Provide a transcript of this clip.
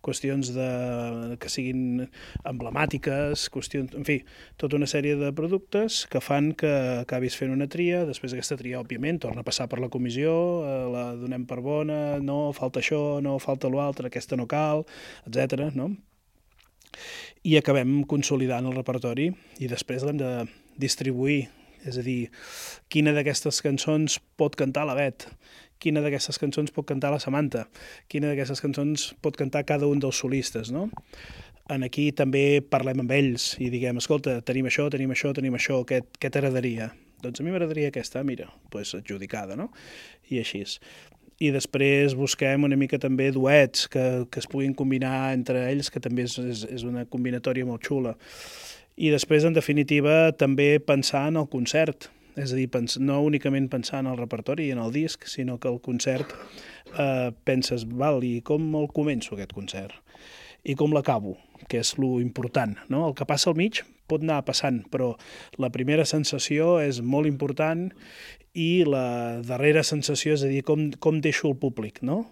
qüestions que siguin emblemàtiques, qüestions, en fi, tota una sèrie de productes que fan que acabis fent una tria, després aquesta tria, òbviament, torna a passar per la comissió, la donem per bona, no, falta això, no, falta l'altre, aquesta no cal, etc. no? I acabem consolidant el repertori i després l'hem de distribuir, és a dir, quina d'aquestes cançons pot cantar la Bet, quina d'aquestes cançons pot cantar la Samantha, quina d'aquestes cançons pot cantar cada un dels solistes, no? Aquí també parlem amb ells i diguem, escolta, tenim això, què t'agradaria? Doncs a mi m'agradaria aquesta, mira, doncs adjudicada, no? I així. I després busquem una mica també duets que es puguin combinar entre ells, que també és una combinatòria molt xula. I després, en definitiva, també pensar en el concert, és a dir, no únicament pensar en el repertori i en el disc, sinó que el concert penses, val, i com el començo aquest concert? I com l'acabo? Que és lo important, no? El que passa al mig pot anar passant, però la primera sensació és molt important i la darrera sensació, és a dir, com deixo el públic, no?